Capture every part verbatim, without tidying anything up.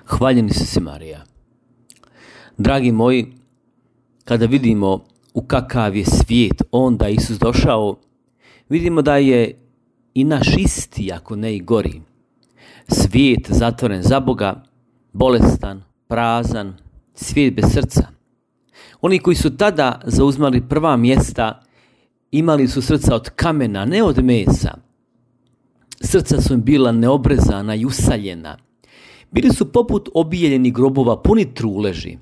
Hvaljeni si si Marija. Dragi moji, kada vidimo u kakav je svijet onda Isus došao, vidimo da je i naš isti, ako ne i gori. Svijet zatvoren za Boga, bolestan, prazan, svijet bez srca. Oni koji su tada zauzmali prva mjesta imali su srca od kamena, ne od mesa. Srca su im bila neobrezana i usaljena. Bili su poput obijeljenih grobova puni truleži.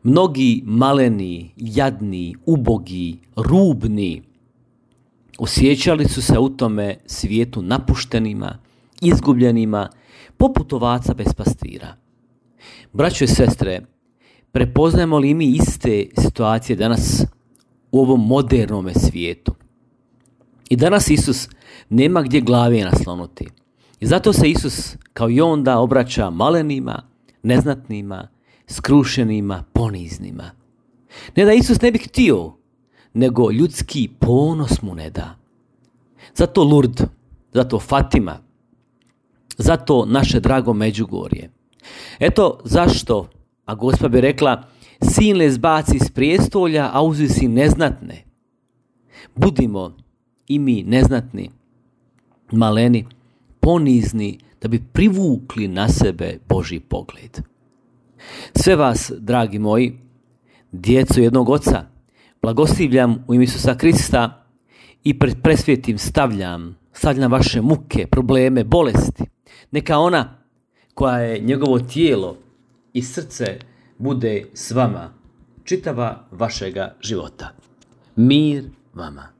Mnogi maleni, jadni, ubogi, rubni osjećali su se u tome svijetu napuštenima, izgubljenima, poput ovaca bez pastira. Braćo i sestre, prepoznajemo li mi iste situacije danas u ovom modernom svijetu? I danas Isus nema gdje glave naslonuti. I zato se Isus kao i onda obraća malenima, neznatnima, skrušenima, poniznima. Ne da Isus ne bi htio, nego ljudski ponos mu ne da. Zato Lurd, zato Fatima, zato naše drago Međugorje. Eto zašto, a Gospa bi rekla, sin le zbaci iz prijestolja, a uzvisi neznatne. Budimo i mi neznatni, maleni, ponizni, da bi privukli na sebe Božji pogled. Sve vas, dragi moji, djeco jednog oca, blagoslivljam u ime Isusa Krista i pred presvjetim stavljam, stavljam vaše muke, probleme, bolesti. Neka ona koja je njegovo tijelo i srce bude s vama čitava vašega života. Mir vama.